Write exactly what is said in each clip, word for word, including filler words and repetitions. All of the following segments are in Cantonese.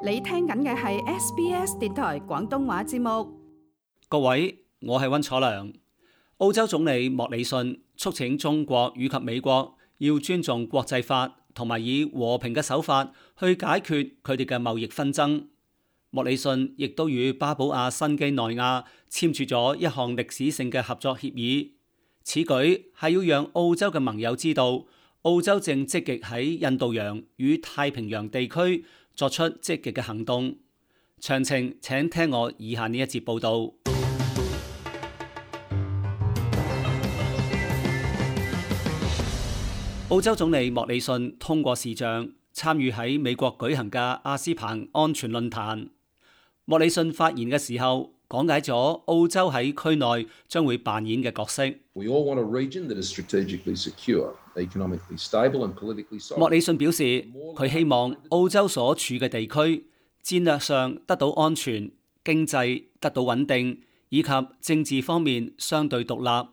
你聽緊嘅係 S B S 電台廣東話節目。各位，我係溫楚良。澳洲總理莫里遜促請中國以及美國要尊重國際法，同埋以和平嘅手法去解決佢哋嘅貿易紛爭。莫里遜亦都與巴布亞新畿內亞簽署咗一項歷史性嘅合作協議。此舉係要讓澳洲嘅盟友知道，澳洲正積極喺印度洋與太平洋地區作出積極嘅行動。詳情請聽我以下呢一節報導。澳洲總理莫里遜通過視像參與喺美國舉行嘅阿斯彭安全論壇。莫里遜發言嘅時候講解咗澳洲喺區內將會扮演嘅角色。We all want a region that is strategically secure, economically stable and politically solid. 莫里遜表示，佢希望澳洲所處嘅地區戰略上得到安全，經濟得到穩定，以及政治方面相對獨立。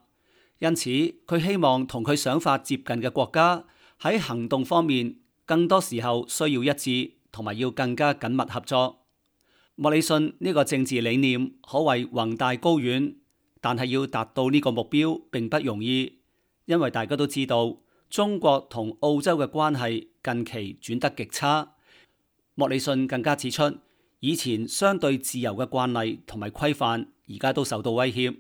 因此，佢希望同佢想法接近嘅國家喺行動方面，更多時候需要一致，同埋要更加緊密合作。莫里遜呢個政治理念可謂宏大高遠，但係要達到呢個目標並不容易，因為大家都知道中國同澳洲嘅關係近期轉得極差。莫里遜更加指出，以前相對自由嘅慣例同埋規範，而家都受到威脅。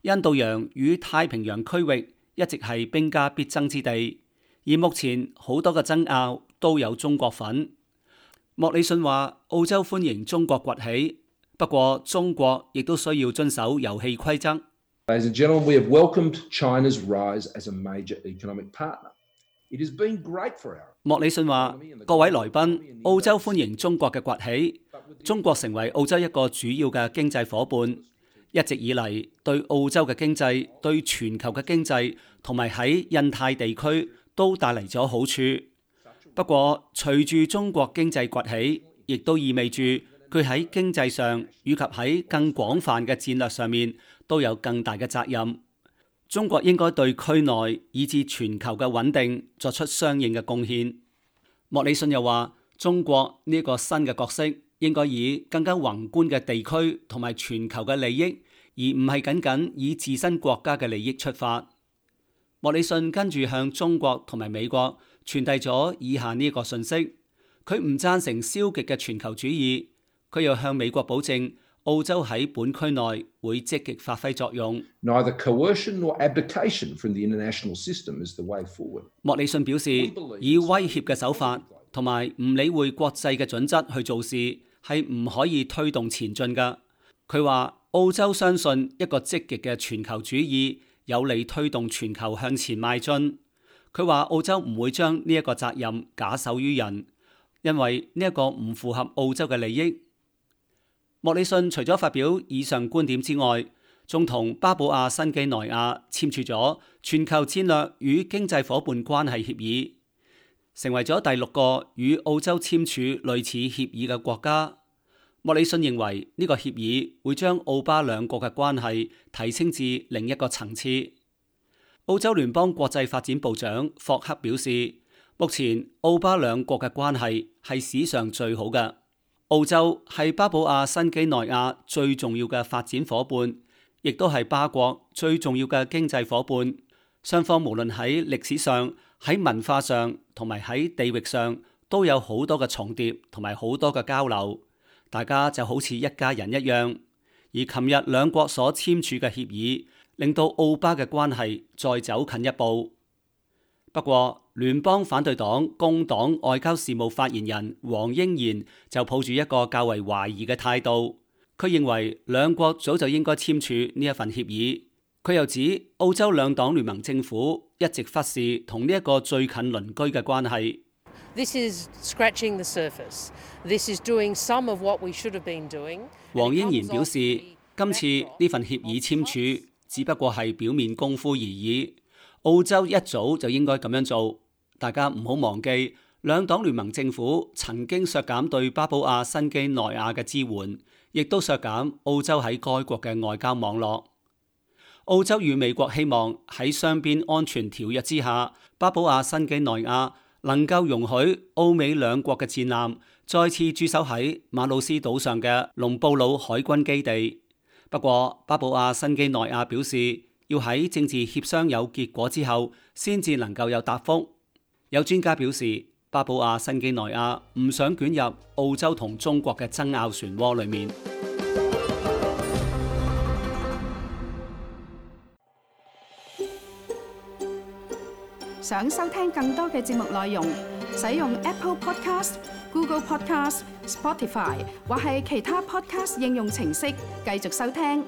印度洋與太平洋區域一直係兵家必爭之地，而目前好多嘅爭拗都有中國份。莫里遜話：澳洲歡迎中國崛起，不過中國亦都需要遵守遊戲規則。Ladies and gentlemen, we have welcomed China's rise as a major economic partner. It has been great for our. 莫里遜話：各位來賓，澳洲歡迎中國嘅崛起，中國成為澳洲一個主要嘅經濟夥伴。一直以嚟，對澳洲嘅經濟、對全球嘅經濟同埋喺印太地區都帶嚟咗好處。不過，隨住中國經濟崛起，亦都意味住佢喺經濟上以及喺更廣泛嘅戰略上面都有更大嘅責任。中國應該對區內以至全球嘅穩定作出相應嘅貢獻。莫里遜又話：中國呢個新嘅角色應該以更加宏觀嘅地區同埋全球嘅利益，而唔係僅僅以自身國家嘅利益出發。莫里遜跟住向中國同埋美國傳遞咗以下呢個信息：佢唔贊成消極嘅全球主義，佢又向美國保證澳洲喺本區內會積極發揮作用。Neither coercion nor abdication from the international system is the way forward. 莫里遜表示，以威脅嘅手法同埋唔理會國際嘅準則去做事，係唔可以推動前進㗎。佢話澳洲相信一個積極嘅全球主義有利推動全球向前邁進。佢話澳洲唔會將呢一個責任假手於人，因為呢一個唔符合澳洲嘅利益。莫里遜除咗發表以上觀點之外，仲同巴布亞新畿內亞簽署咗全球戰略與經濟夥伴關係協議，成為咗第六個與澳洲簽署類似協議嘅國家。莫里遜認為呢個協議會將澳巴兩國嘅關係提升至另一個層次。澳洲聯邦國際發展部長霍克表示，目前澳巴兩國嘅關係係史上最好嘅。澳洲係巴布亞新畿內亞最重要嘅發展夥伴，亦都係巴國最重要嘅經濟夥伴。雙方無論喺歷史上、喺文化上同埋喺地域上都有好多嘅重疊同埋好多嘅交流，大家就好似一家人一樣。而琴日兩國所簽署嘅協議，令到澳巴嘅關係再走近一步。不過，聯邦反對黨工黨外交事務發言人黃英賢就抱住一個較為懷疑嘅態度。佢認為兩國早就應該簽署呢一份協議。佢又指澳洲兩黨聯盟政府一直忽視同呢一個最近鄰居嘅關係。This is scratching the surface. This is doing some of what we should have been doing. 黃英賢表示，今次呢份協議簽署只不過係表面功夫而已。澳洲一早就應該咁樣做。大家唔好忘記，兩黨聯盟政府曾經削減對巴布亞新畿內亞嘅支援，亦都削減澳洲喺該國嘅外交網絡。澳洲與美國希望喺雙邊安全條約之下，巴布亞新畿內亞能夠容許澳美兩國嘅戰艦再次駐守喺馬魯斯島上嘅隆布魯海軍基地。不過，巴布亞新幾內亞表示，要喺政治協商有結果之後，先至能夠有答覆。有專家表示，巴布亞新幾內亞唔想捲入澳洲同中國嘅爭拗漩渦裏面。想收聽更多嘅節目內容，使用 Apple Podcast、Google Podcast、Spotify 或係其他 Podcast 應用程式繼續收聽。